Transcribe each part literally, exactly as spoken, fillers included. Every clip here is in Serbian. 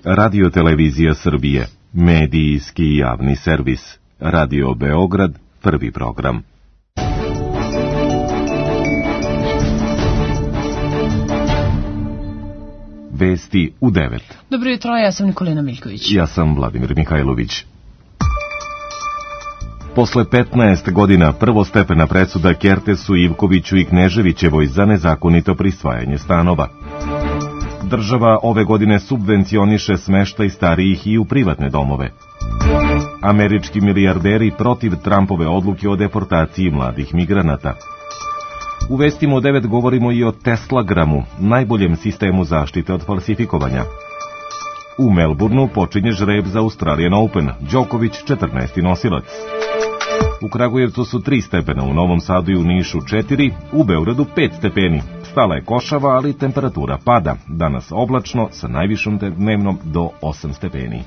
Radio Televizija Srbije, medijski javni servis. Radio Beograd, prvi program. Vesti u devet. Dobro jutro, ja sam Nikolina Miljković. Ja sam Vladimir Mihajlović. Posle petnaest godina prvostepena presuda Kertesu, Ivkoviću i Kneževićevoj za nezakonito prisvajanje stanova. Država ove godine subvencioniše smeštaj starijih i u privatne domove. Američki milijarderi protiv Trumpove odluke o deportaciji mladih migranata. U vestima u devet govorimo i o Teslagramu, najboljem sistemu zaštite od falsifikovanja. U Melbourneu počinje žreb za Australian Open, Đoković četrnaesti nosilac. U Kragujevcu su tri stepena, u Novom Sadu i u Nišu četiri, u Beogradu pet stepeni. Stala je košava, ali temperatura pada. Danas oblačno sa najvišom dnevnom do osam stepeni.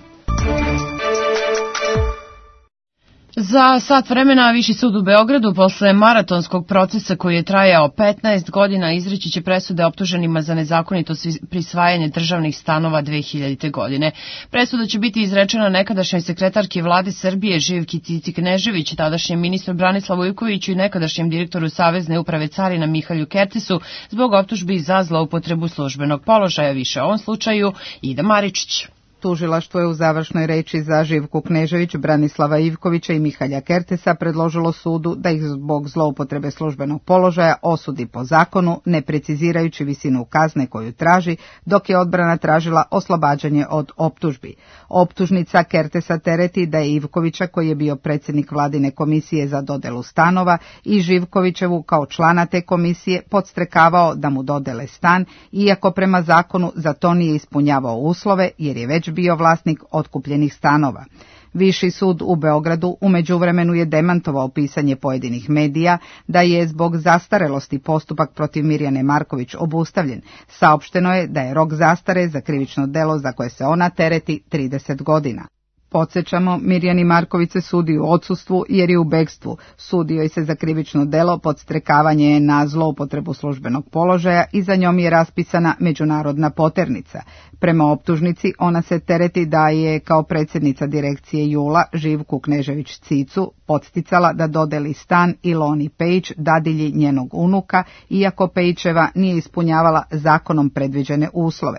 Za sat vremena Viši sud u Beogradu posle maratonskog procesa koji je trajao petnaest godina izreći će presude optuženima za nezakonito prisvajanje državnih stanova dve hiljadite. godine. Presuda će biti izrečena nekadašnjoj sekretarki vlade Srbije Živki Titi Knežević, tadašnjem ministru Branislavu Ivkoviću i nekadašnjem direktoru Savezne uprave carina Mihalju Kertesu zbog optužbi za zloupotrebu službenog položaja. Više o ovom slučaju Ida Maričić. Tužilaštvo je u završnoj reči za Živku Knežević, Branislava Ivkovića i Mihalja Kertesa predložilo sudu da ih zbog zloupotrebe službenog položaja osudi po zakonu, ne precizirajući visinu kazne koju traži, dok je odbrana tražila oslobađanje od optužbi. Optužnica Kertesa tereti da je Ivkovića, koji je bio predsjednik vladine komisije za dodelu stanova, i Živkovićevu kao člana te komisije podstrekavao da mu dodele stan, iako prema zakonu za to nije ispunjavao uslove jer je već bio vlasnik otkupljenih stanova. Viši sud u Beogradu u međuvremenu je demantovao pisanje pojedinih medija da je zbog zastarelosti postupak protiv Mirjane Marković obustavljen. Saopšteno je da je rok zastare za krivično delo za koje se ona tereti trideset godina. Podsjećamo, Mirjani Marković se sudi u odsustvu jer je u bekstvu. Sudio je se za krivično delo podstrekavanje na zloupotrebu službenog položaja i za njom je raspisana međunarodna poternica. Prema optužnici ona se tereti da je kao predsjednica direkcije Jula Živku Knežević Cicu podsticala da dodeli stan Iloni Pejić, dadilji njenog unuka, iako Pejićeva nije ispunjavala zakonom predviđene uslove.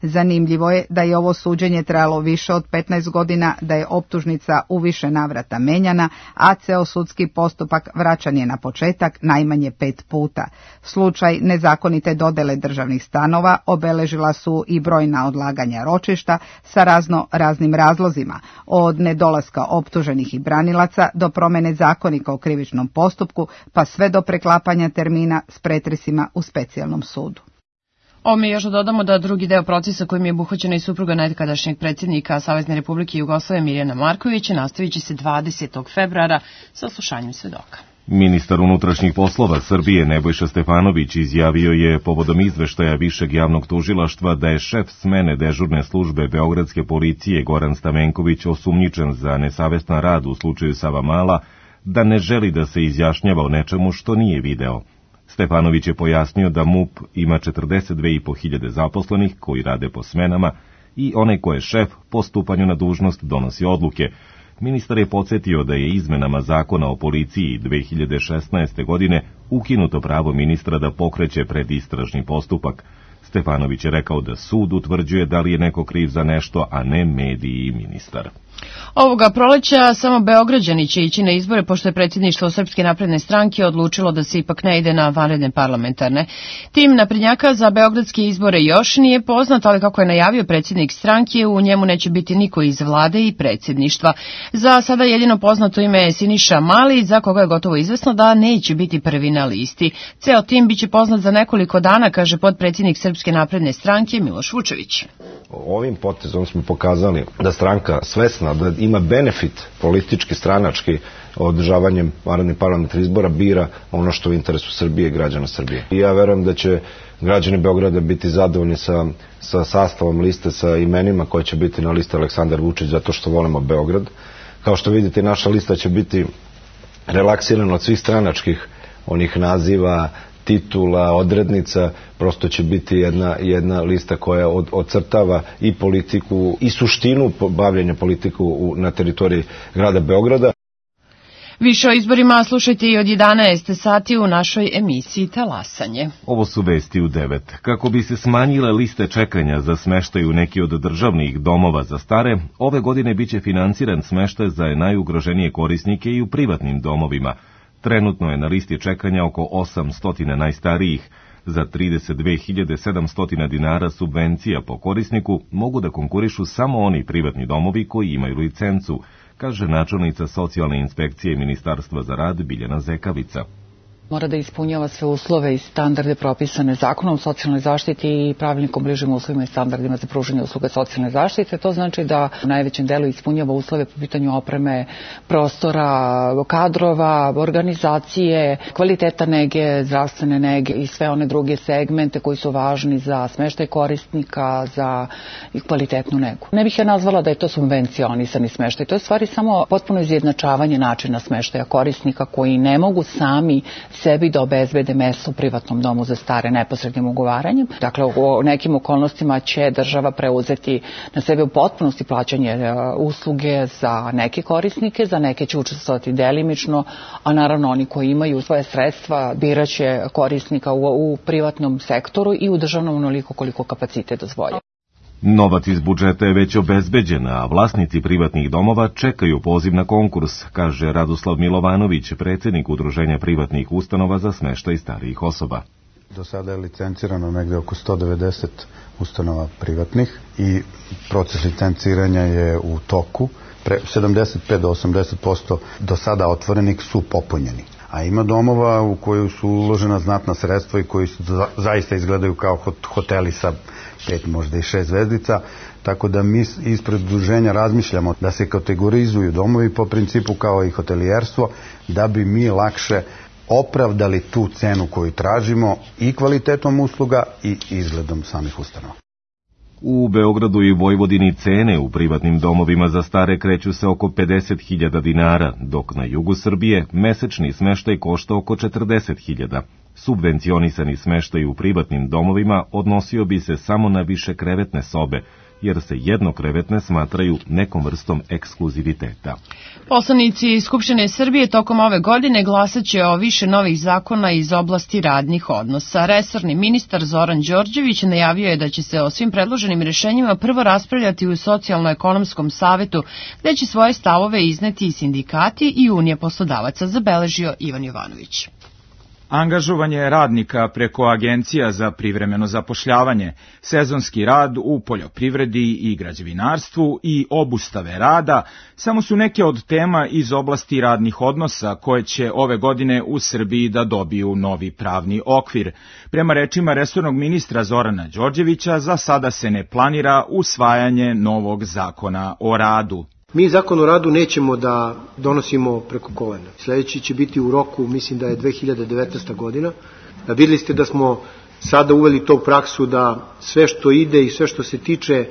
Zanimljivo je da je ovo suđenje trajalo više od petnaest godina, da je optužnica u više navrata menjana, a ceo sudski postupak vraćan je na početak najmanje pet puta. Slučaj nezakonite dodele državnih stanova obeležila su i brojna odlaganja ročišta sa razno raznim razlozima, od nedolaska optuženih i branilaca do promene zakonika o krivičnom postupku, pa sve do preklapanja termina s pretresima u specijalnom sudu. Ome još dodamo da drugi deo procesa kojim je obuhvaćena i supruga nekadašnjeg predsjednika Savezne Republike Jugoslavije Mirjana Markovića nastavit će se dvadesetog februara sa slušanjem svedoka. Ministar unutrašnjih poslova Srbije Nebojša Stefanović izjavio je povodom izveštaja Višeg javnog tužilaštva da je šef smene dežurne službe beogradske policije Goran Stamenković osumnjičen za nesavestan rad u slučaju Savamala, da ne želi da se izjašnjava o nečemu što nije video. Stefanović je pojasnio da MUP ima četrdeset dve i po hiljade zaposlenih koji rade po smenama i onaj ko je šef po stupanju na dužnost donosi odluke. Ministar je podsjetio da je izmenama zakona o policiji dve hiljade šesnaeste. godine ukinuto pravo ministra da pokreće predistražni postupak. Stefanović je rekao da sud utvrđuje da li je neko kriv za nešto, a ne mediji i ministar. Ovoga proleća samo Beograđani će ići na izbore, pošto je predsjedništvo Srpske napredne stranke odlučilo da se ipak ne ide na vanredne parlamentarne. Tim naprednjaka za beogradske izbore još nije poznat, ali kako je najavio predsjednik stranke, u njemu neće biti niko iz vlade i predsjedništva. Za sada jedino poznato ime je Siniša Mali, za koga je gotovo izvesno da neće biti prvi na listi. Ceo tim biće poznat za nekoliko dana, kaže potpredsjednik Srpske napredne stranke Miloš Vučević. Ovim potezom smo pokazali da stranka svesna da ima benefit politički, stranački održavanjem vanrednih parlamentarnih izbora bira ono što je u interesu Srbije i građana Srbije. I ja verujem da će građani Beograda biti zadovoljni sa, sa sastavom liste, sa imenima koje će biti na listi Aleksandar Vučić, zato što volimo Beograd. Kao što vidite, naša lista će biti relaksirana od svih stranačkih onih naziva, titula, odrednica, prosto će biti jedna, jedna lista koja od, ocrtava i politiku i suštinu bavljenja politiku na teritoriji grada Beograda. Više o izborima slušajte i od jedanaest sati u našoj emisiji Talasanje. Ovo su vesti u devet. Kako bi se smanjile liste čekanja za smeštaj u neki od državnih domova za stare, ove godine biće finansiran smeštaj za najugroženije korisnike i u privatnim domovima. Trenutno je na listi čekanja oko osamsto najstarijih. Za trideset dve hiljade sedamsto dinara subvencija po korisniku mogu da konkurišu samo oni privatni domovi koji imaju licencu, kaže načelnica socijalne inspekcije Ministarstva za rad Biljana Zekavica. Mora da ispunjava sve uslove i standarde propisane zakonom o socijalnoj zaštiti i pravilnikom bližim uslovima i standardima za pružanje usluga socijalne zaštite. To znači da u najvećem delu ispunjava uslove po pitanju opreme, prostora, kadrova, organizacije, kvaliteta nege, zdravstvene nege i sve one druge segmente koji su važni za smeštaj korisnika, za kvalitetnu negu. Ne bih ja nazvala da je to subvencionisani smeštaj. To je stvari samo potpuno izjednačavanje načina smeštaja korisnika koji ne mogu sami sebi da obezbede mesto u privatnom domu za stare neposrednim ugovaranjem. Dakle, u nekim okolnostima će država preuzeti na sebe u potpunosti plaćanje usluge za neke korisnike, za neke će učestvovati delimično, a naravno oni koji imaju svoje sredstva biraće korisnika u, u privatnom sektoru i u državnom onoliko koliko kapacitet dozvolja. Novac iz budžeta je već obezbeđen, a vlasnici privatnih domova čekaju poziv na konkurs, kaže Radoslav Milovanović, predsjednik Udruženja privatnih ustanova za smeštaj starijih osoba. Do sada je licencirano negde oko sto devedeset ustanova privatnih i proces licenciranja je u toku. Pre sedamdeset pet do osamdeset posto do sada otvorenih su popunjeni. A ima domova u koju su uložena znatna sredstva i koji su za, zaista izgledaju kao hoteli sa pet, možda i šest zvezdica, tako da mi ispred udruženja razmišljamo da se kategorizuju domovi po principu kao i hotelijerstvo, da bi mi lakše opravdali tu cenu koju tražimo i kvalitetom usluga i izgledom samih ustanova. U Beogradu i Vojvodini cene u privatnim domovima za stare kreću se oko pedeset hiljada dinara, dok na jugu Srbije mesečni smeštaj košta oko četrdeset hiljada. Subvencionisani smeštaj u privatnim domovima odnosio bi se samo na više krevetne sobe, jer se jednokrevetne smatraju nekom vrstom ekskluziviteta. Poslanici Skupštine Srbije tokom ove godine glasaće o više novih zakona iz oblasti radnih odnosa. Resorni ministar Zoran Đorđević najavio je da će se o svim predloženim rešenjima prvo raspravljati u Socijalno-ekonomskom savetu, gde će svoje stavove izneti i sindikati i Unija poslodavaca, zabeležio Ivan Jovanović. Angažovanje radnika preko agencija za privremeno zapošljavanje, sezonski rad u poljoprivredi i građevinarstvu i obustave rada samo su neke od tema iz oblasti radnih odnosa koje će ove godine u Srbiji da dobiju novi pravni okvir. Prema rečima resornog ministra Zorana Đorđevića, za sada se ne planira usvajanje novog zakona o radu. Mi zakon o radu nećemo da donosimo preko kolena. Sljedeći će biti u roku, mislim da je dve hiljade devetnaesta godina. Vidjeli ste da smo sada uveli to u praksu da sve što ide i sve što se tiče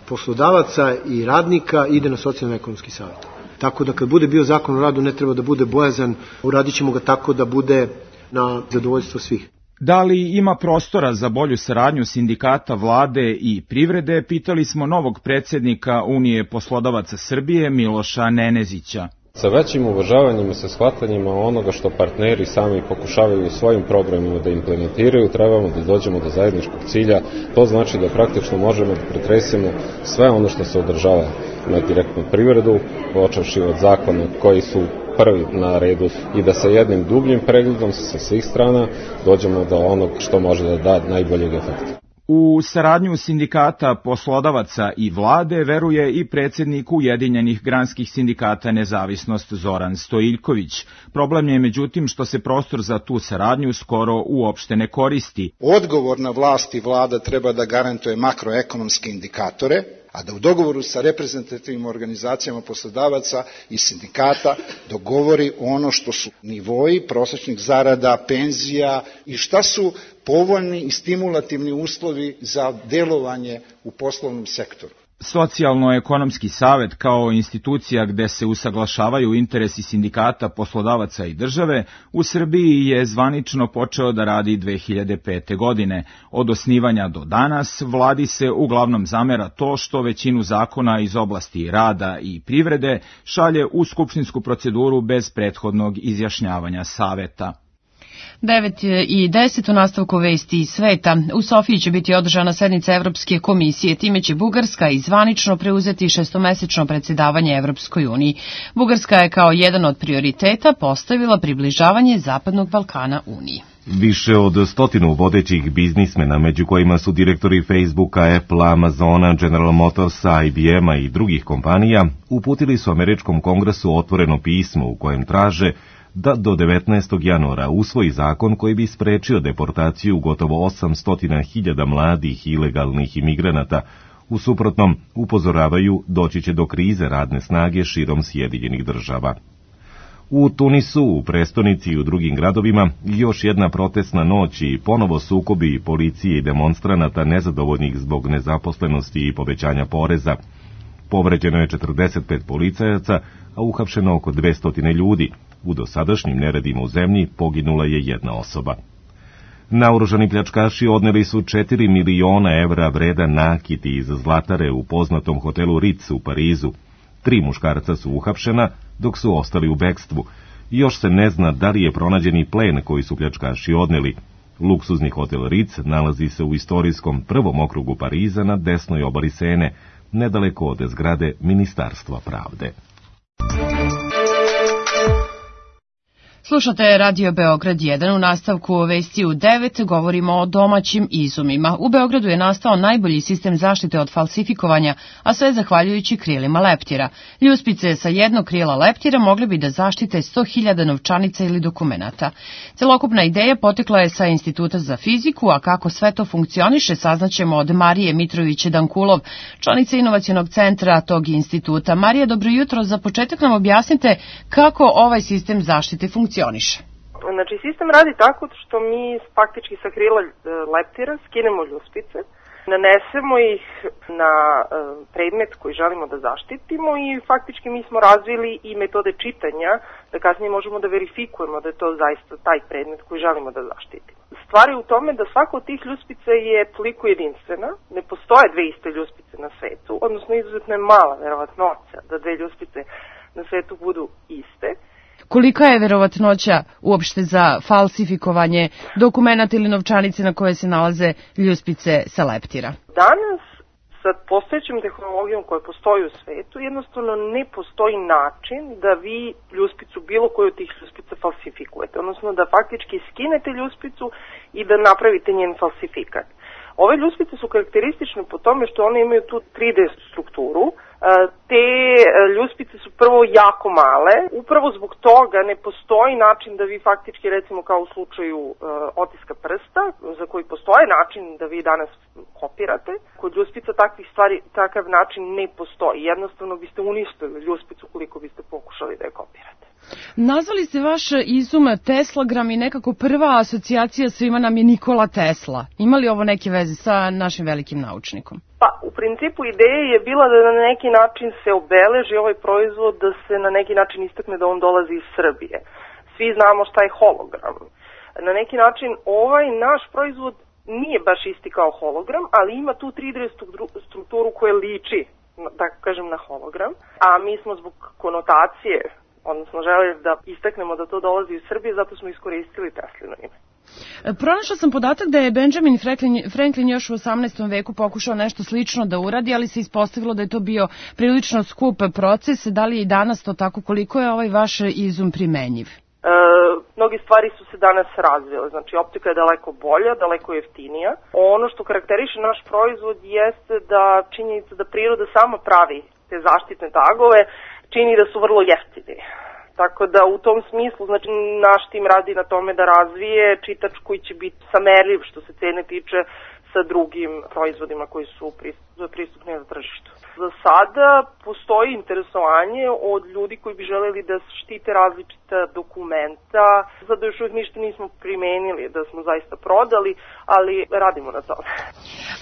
poslodavaca i radnika ide na socijalno-ekonomski savjet. Tako da kad bude bio zakon o radu ne treba da bude bojazan, uradit ćemo ga tako da bude na zadovoljstvo svih. Da li ima prostora za bolju saradnju sindikata, vlade i privrede, pitali smo novog predsjednika Unije poslodavaca Srbije Miloša Nenezića. Sa većim uvažavanjem i sa shvatanjima onoga što partneri sami pokušavaju u svojim programima da implementiraju, trebamo da dođemo do zajedničkog cilja. To znači da praktično možemo da pretresimo sve ono što se održava na direktnu privredu, počevši od zakona koji su prvi na redu i da sa jednim dubljim pregledom sa svih strana dođemo do onog što može da da najboljeg efekta. U saradnju sindikata, poslodavaca i vlade veruje i predsjednik Ujedinjenih granskih sindikata Nezavisnost Zoran Stojiljković. Problem je međutim što se prostor za tu saradnju skoro uopšte ne koristi. Odgovorna vlast i vlada treba da garantuje makroekonomske indikatore, a da u dogovoru sa reprezentativnim organizacijama poslodavaca i sindikata dogovori ono što su nivoji prosječnih zarada, penzija i šta su povoljni i stimulativni uslovi za delovanje u poslovnom sektoru. Socijalno-ekonomski savet kao institucija gde se usaglašavaju interesi sindikata, poslodavaca i države u Srbiji je zvanično počeo da radi dve hiljade pete. godine. Od osnivanja do danas vladi se uglavnom zamera to što većinu zakona iz oblasti rada i privrede šalje u skupštinsku proceduru bez prethodnog izjašnjavanja saveta. devet i deset u nastavku vesti iz sveta. U Sofiji će biti održana sednica Evropske komisije, time će Bugarska i zvanično preuzeti šestomesečno predsjedavanje Evropskoj uniji. Bugarska je kao jedan od prioriteta postavila približavanje Zapadnog Balkana uniji. Više od stotinu vodećih biznismena, među kojima su direktori Facebooka, Apple, Amazona, General Motorsa, I B M-a i drugih kompanija, uputili su Američkom kongresu otvoreno pismo u kojem traže da do devetnaestog januara usvoji zakon koji bi sprečio deportaciju gotovo osamsto hiljada mladih ilegalnih imigranata. U suprotnom, upozoravaju, doći će do krize radne snage širom Sjedinjenih država. U Tunisu, u prestonici i u drugim gradovima još jedna protestna noć i ponovo sukobi policije i demonstranata nezadovoljnih zbog nezaposlenosti i povećanja poreza. Povređeno je četrdeset pet policajaca, a uhapšeno oko dvesta ljudi. U dosadašnjim neredima u zemlji poginula je jedna osoba. Naoružani pljačkaši odneli su četiri miliona evra vredan nakit iz zlatare u poznatom hotelu Ritz u Parizu. Tri muškarca su uhapšena, dok su ostali u bekstvu. Još se ne zna da li je pronađeni plen koji su pljačkaši odneli. Luksuzni hotel Ritz nalazi se u istorijskom prvom okrugu Pariza na desnoj obali Sene, nedaleko od zgrade Ministarstva pravde. Slušate Radio Beograd jedan, u nastavku vesti u devet govorimo o domaćim izumima. U Beogradu je nastao najbolji sistem zaštite od falsifikovanja, a sve zahvaljujući krilima leptira. Ljuspice sa jednog krila leptira mogli bi da zaštite sto hiljada novčanica ili dokumenata. Celokupna ideja potekla je sa Instituta za fiziku, a kako sve to funkcioniše saznaćemo od Marije Mitrović-Dankulov, članice inovacionog centra tog instituta. Marija, dobro jutro. Za početak nam objasnite kako ovaj sistem zaštite funkcioniše. Znači, sistem radi tako što mi faktički sa krila leptira skinemo ljuspice, nanesemo ih na predmet koji želimo da zaštitimo i faktički mi smo razvili i metode čitanja da kasnije možemo da verifikujemo da je to zaista taj predmet koji želimo da zaštitimo. Stvar je u tome da svaka od tih ljuspica je toliko jedinstvena, ne postoje dve iste ljuspice na svetu, odnosno izuzetno je mala verovatnoća da dve ljuspice na svetu budu iste. Kolika je verovatnoća uopšte za falsifikovanje dokumenata ili novčanice na koje se nalaze ljuspice sa leptira? Danas, sa postojećom tehnologijom koja postoji u svetu, jednostavno ne postoji način da vi ljuspicu, bilo koju od tih ljuspica falsifikujete, odnosno da faktički skinete ljuspicu i da napravite njen falsifikat. Ove ljuspice su karakteristične po tome što one imaju tu tri D strukturu. Te ljuspice su prvo jako male, upravo zbog toga ne postoji način da vi faktički, recimo kao u slučaju uh, otiska prsta, za koji postoji način da vi danas kopirate, kod ljuspica takvih stvari, takav način ne postoji. Jednostavno biste uništili ljuspicu koliko biste pokušali da je kopirate. Nazvali ste vaš izum Teslagram i nekako prva asocijacija svima nam je Nikola Tesla. Ima li ovo neke veze sa našim velikim naučnikom? Pa, u principu ideja je bila da na neki način se obeleži ovaj proizvod, da se na neki način istakne da on dolazi iz Srbije. Svi znamo šta je hologram. Na neki način ovaj naš proizvod nije baš isti kao hologram, ali ima tu tri D strukturu koja liči, da kažem, na hologram, a mi smo zbog konotacije, odnosno želeli da istaknemo da to dolazi iz Srbije, zato smo iskoristili Teslino ime. Pronašla sam podatak da je Benjamin Franklin, Franklin još u osamnaestom veku pokušao nešto slično da uradi, ali se ispostavilo da je to bio prilično skup proces. Da li je i danas to tako? Koliko je ovaj vaš izum primenjiv? E, mnogi stvari su se danas razvile. Znači, optika je daleko bolja, daleko jeftinija. Ono što karakteriše naš proizvod jeste da činjenica da priroda sama pravi te zaštitne tagove čini da su vrlo jeftini. Tako da u tom smislu, znači, naš tim radi na tome da razvije čitač koji će biti samerljiv što se cene tiče sa drugim proizvodima koji su pristupni na tržištu. Za sada postoji interesovanje od ljudi koji bi želeli da štite različita dokumenta. Sada još uvijek ništa nismo primenili da smo zaista prodali, ali radimo na tome.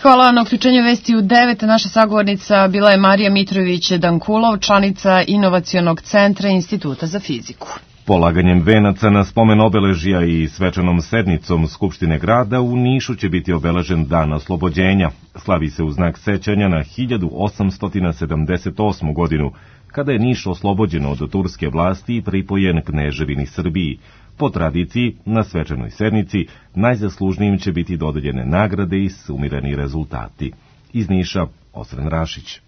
Hvala na uključenju vesti u devet. Naša sagovornica bila je Marija Mitrović-Dankulov, članica Inovacionog centra Instituta za fiziku. Polaganjem venaca na spomen obeležja i svečanom sednicom Skupštine grada u Nišu će biti obeležen Dan oslobođenja. Slavi se u znak sećanja na hiljadu osamsto sedamdeset osmu godinu, kada je Niš oslobođen od turske vlasti i pripojen Kneževini Srbiji. Po tradiciji, na svečanoj sednici najzaslužnijim će biti dodeljene nagrade i sumirani rezultati. Iz Niša, Osren Rašić.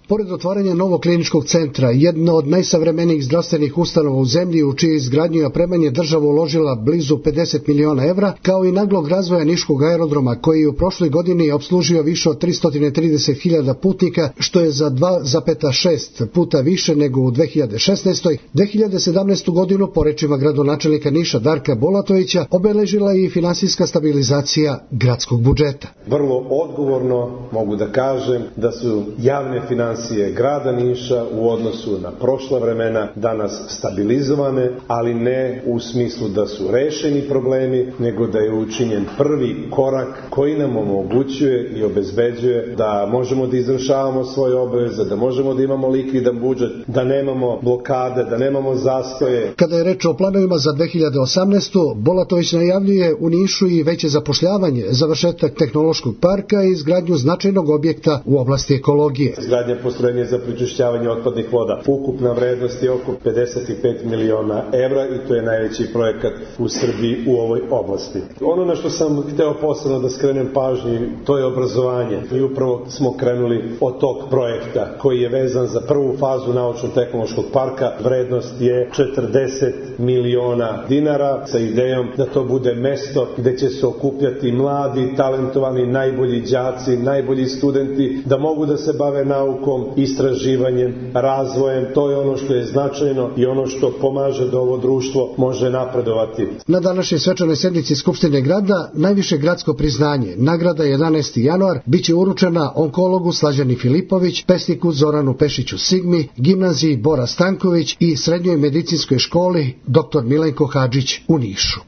Pored otvaranja novog kliničkog centra, jedna od najsavremenijih zdravstvenih ustanova u zemlji u čije izgradnju i opremanje država uložila blizu pedeset miliona evra, kao i naglog razvoja Niškog aerodroma koji je u prošloj godini opslužio više od tristo trideset hiljada putnika, što je za dva zarez šest puta više nego u dve hiljade šesnaestoj. dve hiljade sedamnaestu. godinu, po rečima gradonačelnika Niša Darka Bulatovića, obeležila i finansijska stabilizacija gradskog budžeta. Vrlo odgovorno mogu da kažem da su javne financije grada Niša u odnosu na prošla vremena danas stabilizovane, ali ne u smislu da su rešeni problemi, nego da je učinjen prvi korak koji nam omogućuje i obezbeđuje da možemo da izvršavamo svoje obaveze, da možemo da imamo likvidan budžet, da nemamo blokade, da nemamo zastoje. Kada je reč o planovima za dve hiljade osamnaestu. Bulatović najavljuje u Nišu i veće zapošljavanje, završetak tehnološkog parka i izgradnju značajnog objekta u oblasti ekologije. Izgradnja postrojenja za prečišćavanje otpadnih voda. Ukupna vrednost je oko pedeset pet miliona evra i to je najveći projekat u Srbiji u ovoj oblasti. Ono na što sam hteo posebno da skrenem pažnju, to je obrazovanje. I upravo smo krenuli od tog projekta koji je vezan za prvu fazu naučno-tehnološkog parka. Vrednost je četrdeset miliona dinara sa idejom da to bude mesto gde će se okupljati mladi, talentovani, najbolji đaci, najbolji studenti, da mogu da se bave naukom, istraživanjem, razvojem. To je ono što je značajno i ono što pomaže da ovo društvo može napredovati. Na današnjoj svečanoj sednici Skupštine grada najviše gradsko priznanje, nagrada jedanaesti januar, biće uručena onkologu Slađani Filipović, pesniku Zoranu Pešiću Sigmi, gimnaziji Bora Stanković i srednjoj medicinskoj školi doktor Milenko Hadžić u Nišu.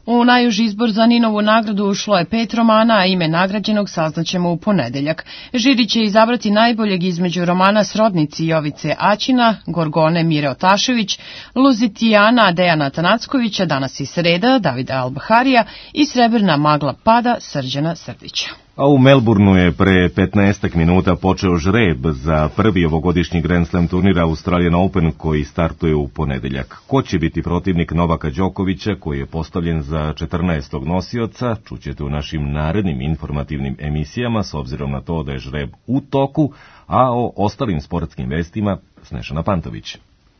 U najuži izbor za Ninovu nagradu ušlo je pet romana, a ime nagrađenog saznaćemo u ponedeljak. Žiri će izabrati najboljeg između romana Srodnici Jovice Aćina, Gorgone Mire Otašević, Luzitijana Dejana Tanackovića, Danas i sreda Davida Albaharija i Srebrna magla pada Srđana Srdića. A u Melbourneu je pre petnaestak minuta počeo žreb za prvi ovogodišnji Grand Slam turnir Australian Open koji startuje u ponedeljak. Ko će biti protivnik Novaka Đokovića koji je postavljen za četrnaestog nosioca, čućete u našim narednim informativnim emisijama s obzirom na to da je žreb u toku, a o ostalim sportskim vestima Snešana Pantović.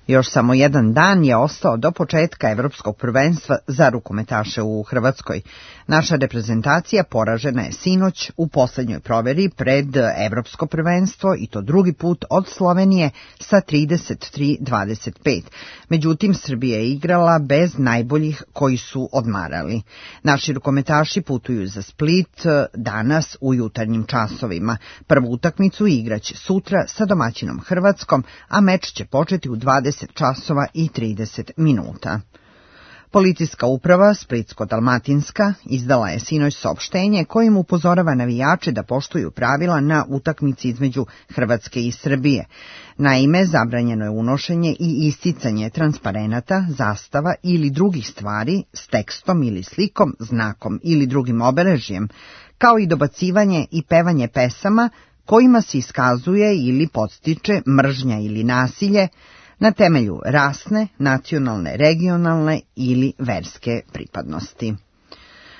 Još samo jedan dan je ostao do početka Evropskog prvenstva za rukometaše u Hrvatskoj. Naša reprezentacija poražena je sinoć u poslednjoj proveri pred Evropsko prvenstvo i to drugi put od Slovenije sa trideset tri dvadeset pet. Međutim, Srbija je igrala bez najboljih koji su odmarali. Naši rukometaši putuju za Split danas u jutarnjim časovima. Prvu utakmicu igraće sutra sa domaćinom Hrvatskom, a meč će početi u dvadeset časova i trideset minuta. Policijska uprava Splitsko-Dalmatinska izdala je sinoć saopštenje kojim upozorava navijače da poštuju pravila na utakmici između Hrvatske i Srbije. Naime, zabranjeno je unošenje i isticanje transparenata, zastava ili drugih stvari s tekstom ili slikom, znakom ili drugim obeležjem, kao i dobacivanje i pevanje pesama kojima se iskazuje ili podstiče mržnja ili nasilje na temelju rasne, nacionalne, regionalne ili verske pripadnosti.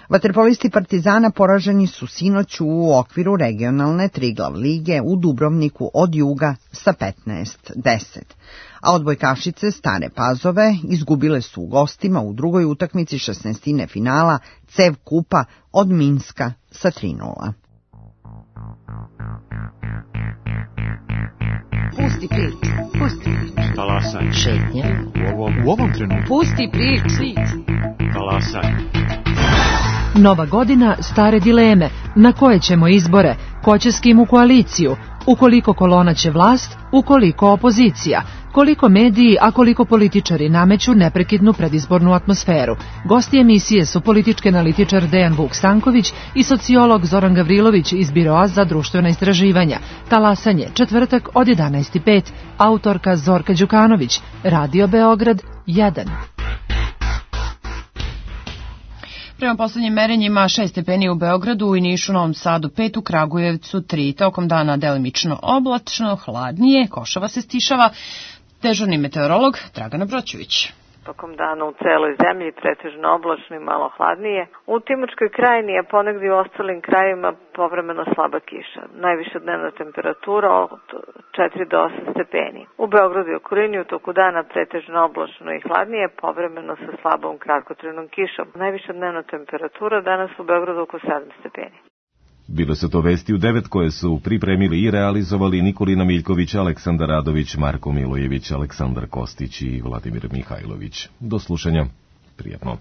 Vaterpolisti Partizana poraženi su sinoć u okviru regionalne Triglav lige u Dubrovniku od Juga sa petnaest deset, a odbojkašice Stare Pazove izgubile su u gostima u drugoj utakmici šesnaestine finala Cev kupa od Minska sa tri nula. Pusti priču, pusti priču. Talasaj. Šetnja. U ovom, u ovom trenutku. Pusti priču. Talasaj. Nova godina, stare dileme. Na koje ćemo izbore? Ko će s kim u koaliciju? ukoliko kolona će vlast, ukoliko opozicija, koliko mediji, a koliko političari nameću neprekidnu predizbornu atmosferu. Gosti emisije su politički analitičar Dejan Vuk Stanković i sociolog Zoran Gavrilović iz Biroa za društvena istraživanja. Talasanje, četvrtak od jedanaest i pet, autorka Zorka Đukanović, Radio Beograd jedan. Prema poslednjim merenjima šest stepeni u Beogradu, u Nišu, Novom Sadu pet, u Kragujevcu tri. Tokom dana delimično oblačno, hladnije, košava se stišava. Dežurni meteorolog Dragana Broćević. Tokom dana u celoj zemlji pretežno oblačno i malo hladnije. U Timočkoj krajini, a ponegdje u ostalim krajevima povremeno slaba kiša. Najviša dnevna temperatura od četiri do osam stepeni. U Beogradu i okolini u toku dana pretežno oblačno i hladnije, povremeno sa slabom kratkotrajnom kišom. Najviša dnevna temperatura danas u Beogradu oko sedam stepeni. Bile su to vesti u devet koje su pripremili i realizovali Nikolina Miljković, Aleksandar Radović, Marko Milojević, Aleksandar Kostić i Vladimir Mihajlović. Do slušanja. Prijatno.